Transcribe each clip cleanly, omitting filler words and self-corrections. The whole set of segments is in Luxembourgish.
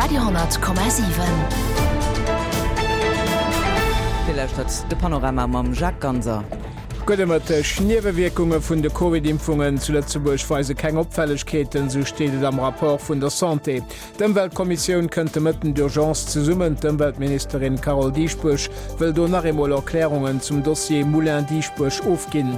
Radio,7. Dir lauschtert de Panorama mam Jacques Ganser. Gudde Mëtteg. Niewewierkunge vun de Covid-Impfungen zu Lëtzebuerg weise keng Opfällegkeeten, sou steet et am Rapport vun der Santé. D'Ëmweltkommissioun kënnt de Mëtten d'urgence zesummen. D'Ëmweltministerin Carole Dieschbourg wëll do nach eemol Erklärungen zum Dossier Moulin Dieschbourg ofginn.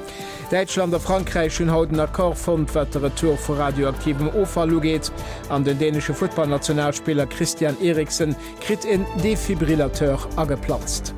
Däitschland a Frankräich hunn haut en Accord fonnt, wat de Retour vu radioaktivem Offall ugeet. An den dänesche Futtballnationalspiller Christian Eriksen kritt en Defibrillateur ageplanzt.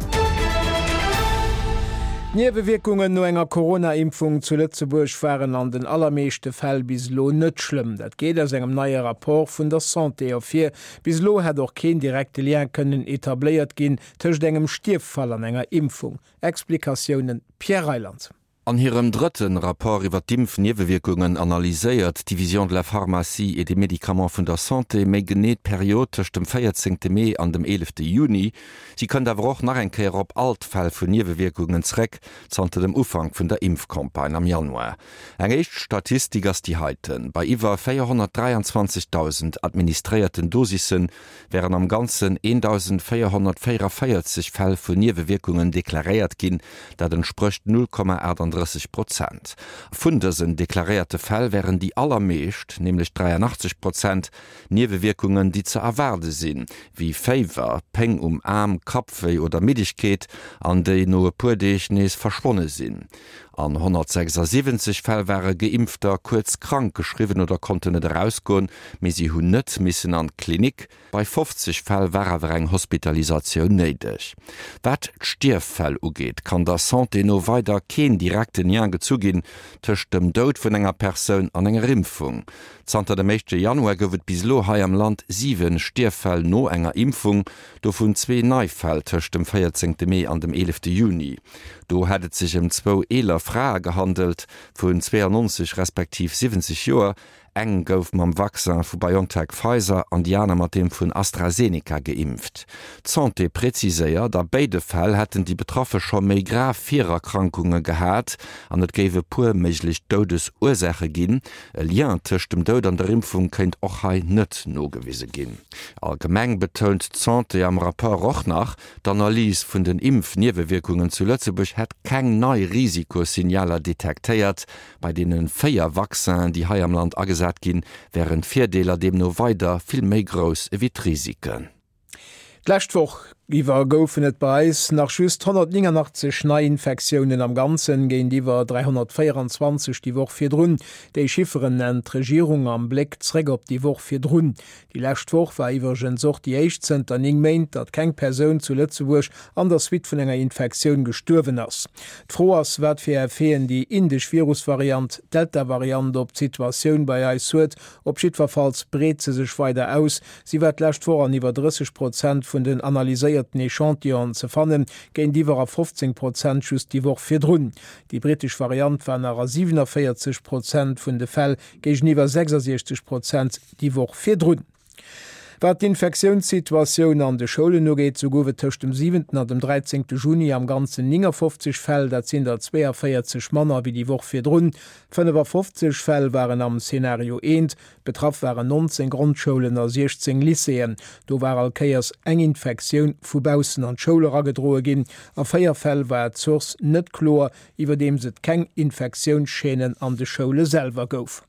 D'Niewewierkungen no enger Corona-Impfung zu Lëtzebuerg waren an den allermeeschte Fäll bis elo net schlëmm. Dat geet aus engem neie Rapport vun der Santé ervir. Bis elo hätt och keen direkte Lien kënnen etabléiert ginn tëscht engem Stierffall an enger Impfung. Explikatiounen Pierre Reyland. An hirem drëtte Rapport iwwer d'Impfniewewierkungen analyséiert d'Division de la pharmacie et des médicaments vun der Santé méi genee d'Period tëscht dem 14 Mee an dem 11 Juni. Si kënnt awer och nach eng Kéier op all d'Fäll vun Niewewierkungen zréck zanter dem Ufank vun der Impfcampagne am Januar. Eng éischt Statistik ass déi heiten, Bei iwwer 423.000 administréierten Dosissen wären am Ganzen 1.444 Fäll vun Niewewierkungen deklaréiert ginn, dat entsprécht 0,38 Prozent. Vun dësen deklaréierte Fäll wären déi allermeescht, nämlech 83 Prozent, Niewewierkungen, déi ze erwaarde sinn, wéi Féiwer, Péng um Aarm, Kappwéi oder Middegkeet, an déi no e puer Deeg nees verschwonne sinn. An 176 Fäll ware Geimpfter kuerz krank geschriwwen oder konnten net erausgoen, mee si hunn net missen an d'Klinik. Bei 50 Fäll war awer eng Hospitalisatioun néideg. Wat d'Stierffäll ugeet, kann der Santé no weider keen direkten Lien gezu ginn tëscht dem Doud vun enger Persoun an enger Impfung. Zanter dem éischte Januar gouf et bis elo hei am Land 7 Stierffäll no enger Impfung, dovun zwee nei Fäll tëscht dem 14 Mee an dem 11 Juni. Do hätt et sech ëm zwou eeler Frae gehandelt, vun 92 respektiv 70 Joer. Eng gouf mam Vaccin vu BioNTech-Pfizer an déi aner mat deem vun AstraZeneca geimpft. D'Santé präziséiert, a béide Fäll hätten déi Betraffe scho méi grav Virerkrankunge gehat an et géif e puer méiglech Doudesursaache ginn. E Lien tëscht dem Doud an der Impfung kéint och hei net nogewise ginn. Allgemeng betount d'Santé am Rapport och nach, D'Analys vun den Impfniewewierkungen zu Lëtzebuerg hätt keng nei Risikossignaler detektéiert. Bei deene 4 Vaccinen, déi hei am Land agesat ginn, wären d'Virdeeler deemno weider vill méi grouss ewéi d'Risiken. D'lescht Woch iwwer goufen et bei eis nach just 189 Neiinfektiounen am Ganzen, géintiwwer 324 déi Woch virdrun. Déi Chifferen nennt d'Regierung am Bléck zréck op déi Woch virdrun. Déi lescht Woch war iwwregens och déi éischt zënter 9 Méint, datt keng Persoun zu Lëtzebuerg an der Suite vun enger Infektioun gestuerwen ass. D'Fro ass, wat fir Effeten déi indesch Virusvariant, d'Delta-Variant, op d'Situatioun bei eis huet. Op jiddwerfalls breet se sech weider aus. Si war d'lescht Woch an iwwer 30 Prozent vun den analyséierten Echantillonen ze fannen, géintiwwer a 15 Prozent just déi Woch virdrun. Déi brittesch Variant war nach a 47 Prozent vun de Fäll, géigeniwwer 66 Prozent déi Woch virdrun. Wat d'Infektiounssituatioun an de Schoulen ugeet, sou gouf et tëscht dem siwenten an dem dräizéngte Juni am Ganzen 59 Fäll, dat sinn der 42 manner wéi déi Woch virdrun. 55 Fäll waren am Szenario eent, betraff waren 19 Grondschoulen a 16 Lycéeën. Do war all Kéiers eng Infektioun vu baussen an d'Schoul eragedroe ginn. A 4 Fäll war d'Source net kloer, iwwerdeems et keng Infektiounschaînen an de Schoule selwer gouf.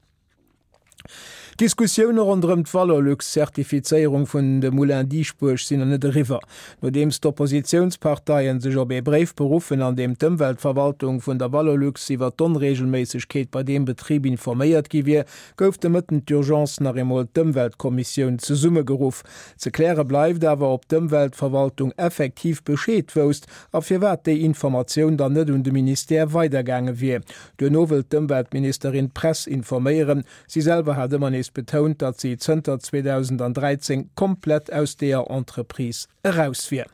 D'Diskussioune ronderëm d'Valorlux-Zertifizéierung vun de Moulin Dieschbourg sinn nach net eriwwer. Nodeems d'Oppositiounsparteien sech op ee Bréif beruffen, an deem d'Ëmweltverwaltung vun der Valorlux iwwer d'Onreegelméissegkeet bei deem Betrib informéiert gi wier, gouf de Mëtten d'Urgence nach eemol d'Ëmweltkommissioun zesummegeruff. Ze kläre bleift awer, ob d'Ëmweltverwaltung effektiv Bescheed wousst a firwat déi Informatioun dann net un de Ministère weidergaange wier. Duerno wëll d'Ëmweltministerin d'Press informéieren. Si selwer hat ëmmer nees betount, datt si zënter 2013 komplett aus deeër Entreprise eraus wier.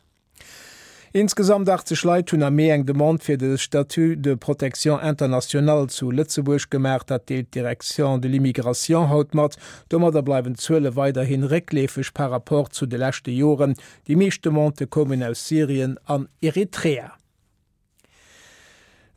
Insgesamt 80 Leit hunn am Mee eng Demande fir de Statut de protection internationale zu Lëtzebuerg gemaach. Dat deelt d'Direction de l'immigration haut mat. Domadder bleiwen d'Zuele weiderhi réckleefeg par rapport zu de leschte Joren. Déi meescht Demandë koumen aus Syrien an Eritrea.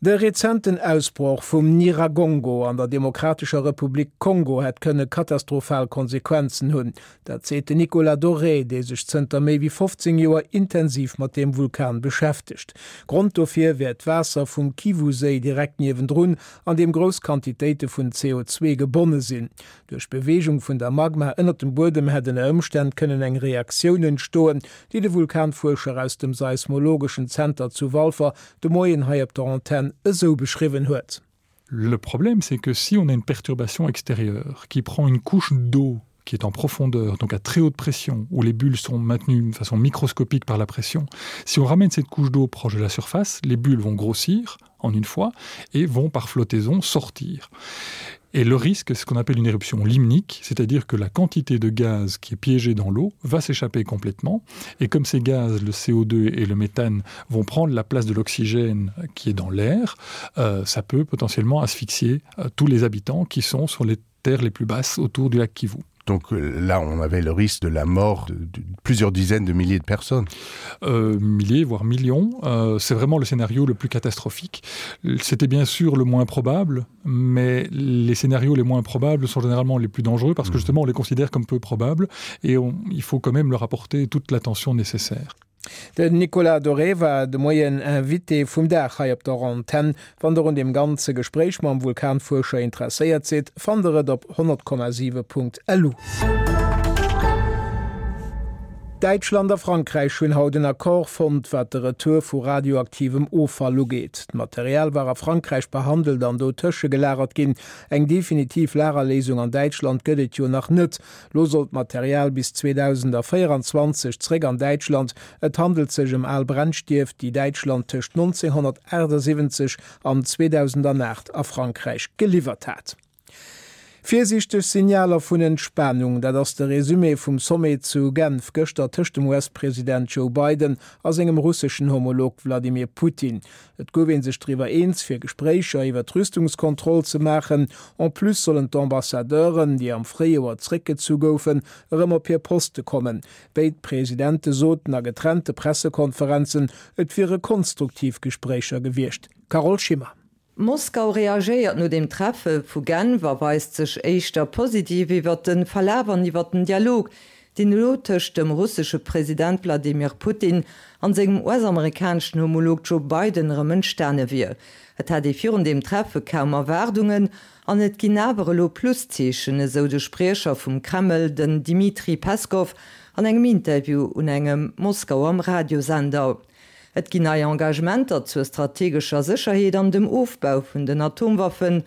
De rezenten Ausbroch vum Nyiragongo an der Demokratescher Republik Kongo hätt kënne katastrophal Konsequenzen hunn. Dat seet den Nicolas Doré, dee sech zënter méi wéi 15 Joer intensiv mat deem Vulkan beschäftegt. Grond dofir wär d'Waasser vum Kivu-Séi direkt niewendrun, an deem grouss Quantitéite vun CO2 gebonne sinn. Duerch d'Beweegung vun der Magma ënnert dem Buedem hätt ënner Ëmstänn kënnen eng Reaktioun entstoen, déi de Vulkanfuerscher aus dem seismologeschen Zenter zu Walfer de Moien hei op der Antenn esou beschriwwen huet. Le problème, c'est que si on a une perturbation extérieure qui prend une couche d'eau qui est en profondeur, donc à très haute pression, où les bulles sont maintenues de façon microscopique par la pression, si on ramène cette couche d'eau proche de la surface, les bulles vont grossir en une fois et vont par flottaison sortir. Et le risque, c'est ce qu'on appelle une éruption limnique, c'est-à-dire que la quantité de gaz qui est piégée dans l'eau va s'échapper complètement. Et comme ces gaz, le CO2 et le méthane, vont prendre la place de l'oxygène qui est dans l'air, euh, ça peut potentiellement asphyxier euh, tous les habitants qui sont sur les terres les plus basses autour du lac Kivu. Donc euh, là, on avait le risque de la mort de, de plusieurs dizaines de milliers de personnes. Euh, milliers, voire millions. Euh, C'est vraiment le scénario le plus catastrophique. C'était bien sûr le moins probable, mais les scénarios les moins probables sont généralement les plus dangereux parce que mmh. justement on les considère comme peu probables et on, il faut quand même leur apporter toute l'attention nécessaire. Den Nicolas Doré war de Moien Invité vum Dag hei op der Antenn. Wann der un deem ganze Gespréich mam Vulkanfuerscher interesséiert sidd, fannt der et op 100,7.lu. Däitschland a Frankräich hunn haut en Accord fonnt, wat de Retour vu radioaktivem Offall ugeet. D'Material war a Frankräich behandelt an do tëschegelagert ginn. Eng definitiv Lagerléisung an Däitschland gëtt et jo nach net. Lo soll d'Material bis 2024 zréck an Däitschland. Et handelt sech ëm al Brennstief, déi Däitschland tëscht 1978 an 2008 a Frankräich geliwwert hat. Virsiichteg Signaler vun Entspanung, dat ass de Resumé vum Sommet zu Genf gëschter tëscht dem US-President Joe Biden a sengem russeschen Homolog Wladimir Putin. Et gouf ee sech driwwer eens, fir Gespréicher iwwer d'Rüstungskontroll ze maachen. En plus sollen d'Ambassadeuren, déi am Fréijoer zréckgezu goufen, erëm op hir Poste kommen. Béid Presidente soten a getrennte Pressekonferenzen, et wiere konstruktiv Gespréicher gewiescht. Carole Schimmer. Moskau reagéiert no dem Treffe vu Genf a weist sech éischter positiv iwwert de Verlaf an iwwert den Dialog, deen elo tëscht dem russesche President Wladimir Putin an sengem US-amerikaneschen Homolog Joe Biden erëm entstane wier. Et hätt ee virun deem Treffe kaum Erwaardungen an et ginn awer elo Pluszeechen, esou de Spriecher vum Kreml, den Dmitri Peskow, an engem Interview un engem Moskauer Radiosender. Et ginn nei Engagementer zur strategescher Sécherheet an dem Ofbau vun den Atomwaffen.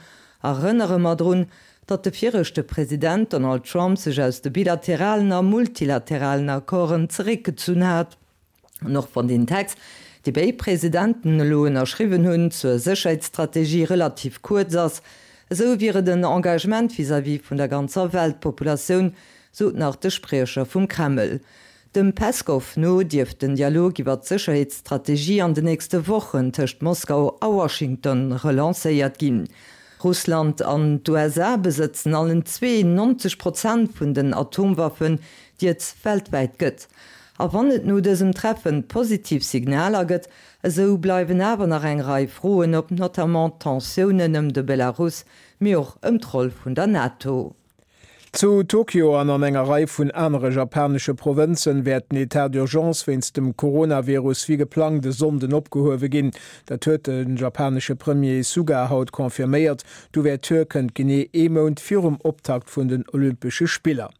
Erënnere mer drun, datt de viregte President Donald Trump sech aus de bilateralen a multilateralen Accorden zeréckgezunn hat. An och wann deen Text, dee béid Presidenten elo ënnerschriwwen hunn, zur Sécherheetsstrategie relativ kuerz ass, esou wier et en Engagement vis-à-vis vun der ganzer Weltpopulatioun, sot nach de Spriecher vum Kreml. Dem Peskow no dierft den Dialog iwwer d'Sécherheetsstrategie an den nächste Wochen tëscht Moskau a Washington relancéiert ginn. Russland an d'USA besëtzen allen zwee 90 Prozent vun den Atomwaffen, déi et weltwäit gëtt. A wann et no dësem Treffen positiv Signaler gëtt, esou bleiwen awer nach eng Rei Froen op, notamment d'Tensiounen ëm de Belarus, mee och ëm d'Roll vun der NATO. Zu Tokio an an enger Rei vun anere japanesche Provënzen wäert den Etat d'urgence wéinst dem Coronavirus wéi geplangt e Sonnden opgehuewe ginn. Dat huet de japanesche Premier Suga haut confirméiert. D'Ouverture kënnt genee ee Mount virum Optakt vun den Olympesche Spiller.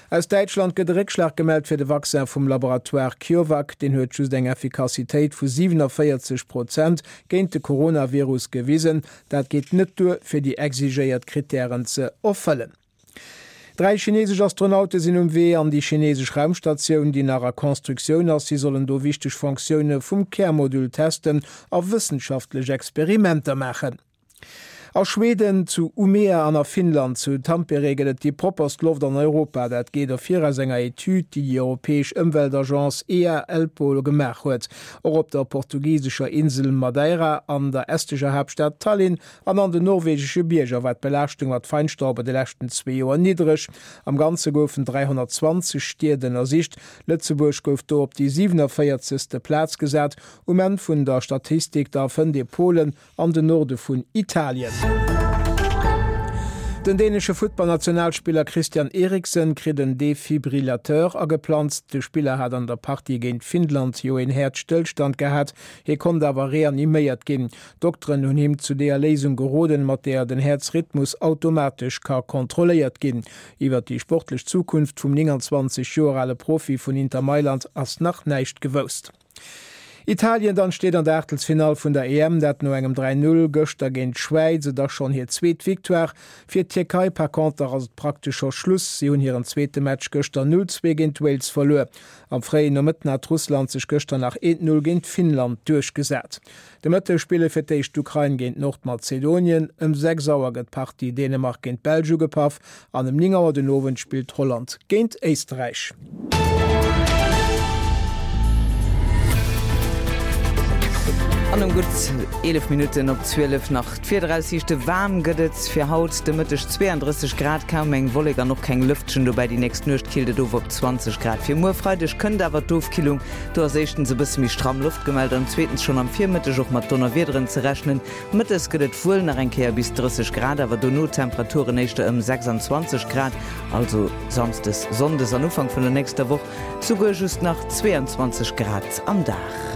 Aus Däitschland gëtt e Réckschlag gemellt fir de Vaccin vum Laboratoire CureVac. Deen huet just eng Effikassitéit vu 47 Prozent géint de Coronavirus gewisen. Dat geet net duer, fir déi exigéiert Krittären ze erfëllen. Dräi chinesesch Astronaute sinn um Wee an déi chinesesch Raumstatioun, déi nach a Constructioun ass. Si sollen do wichteg Fonctioune vum Kärmodul testen a wëssenschaftlech Experimenter maachen. A Schweden, zu Umea an a Finnland, zu Tampere gëtt et déi propperst Loft an Europa. Dat geet ervir aus enger Etüd, déi déi europäesch Ëmweltagence EA-ELPO gemaach huet. Och op der portugisescher Insel Madeira, an der estescher Haaptstad Tallinn an an den norwegesche Bierger war d'Belaaschtung mat Feinstaub an de leschten zwee Joer niddreg. Am Ganze goufen 320 Stied ënnersicht. Lëtzebuerg gouf do op déi 47. Plaz gesat. Um Enn vun der Statistik da fënnt ee Polen an den Norde vun Italien. Den dänesche Futtballnationalspiller Christian Eriksen kritt en Defibrillateur ageplanzt. De Spiller hat an der Partie géint Finnland jo een Häerzstëllstand gehat. Hie konnt awer reaniméiert ginn. D'Dokteren hunn him zu deeër Léisung geroden, mat deeër den Häerzrhythmus automatesch ka kontrolléiert ginn. Iwwer déi sportlech Zukunft vum 29 Joer ale Profi vun Inter Mailand ass nach näischt gewousst. Italien dann steet an der Aachtelsfinall vun der EM, dat no engem 3, 0 gëschter géint d'Schwäiz. Et ass schonn hir zweet Victoire. Fir d'Tierkei par conter ass et praktesch scho Schluss. Si hunn hiren zweete Match gëschter 0, 2 géint Wales verluer. Am fréien Nomëtten hat Russland sech gëschter nach 1, 0 géint Finnland duerchgesat. De Mëtteg spille fir d'éischt d'Ukrain géint Nordmazedonien, ëm 6 Auer gëtt d'Partie Dänemark géint d'Belsch ugepaff an ëm 9 Auer den Owend spillt Holland géint Éisterräich. An um gutt 11 Minutten op 12 nach d'Wiederaussiichte, Waarm gëtt et fir haut de Mëtteg, 32 Grad, kaum eng Wollek an och keng Lëftchen dobäi. Déi nächst Nuecht killt et of op 20 Grad. Fir muer Freideg kënnt awer d'Ofkillung. Do ass éischtens e bësse méi stramm Loft gemellt an zweetens schonn am Virmëtteg och mat Donnerwiederen ze rechnen. Mëttes gëtt et wuel nach eng Kéier bis 30 Grad, awer dono d'Temperaturen éischter ëm 26 Grad, also Samsdes, Sonndes an Ufank vun der nächster Woch souguer just nach 22 Grad am Dag.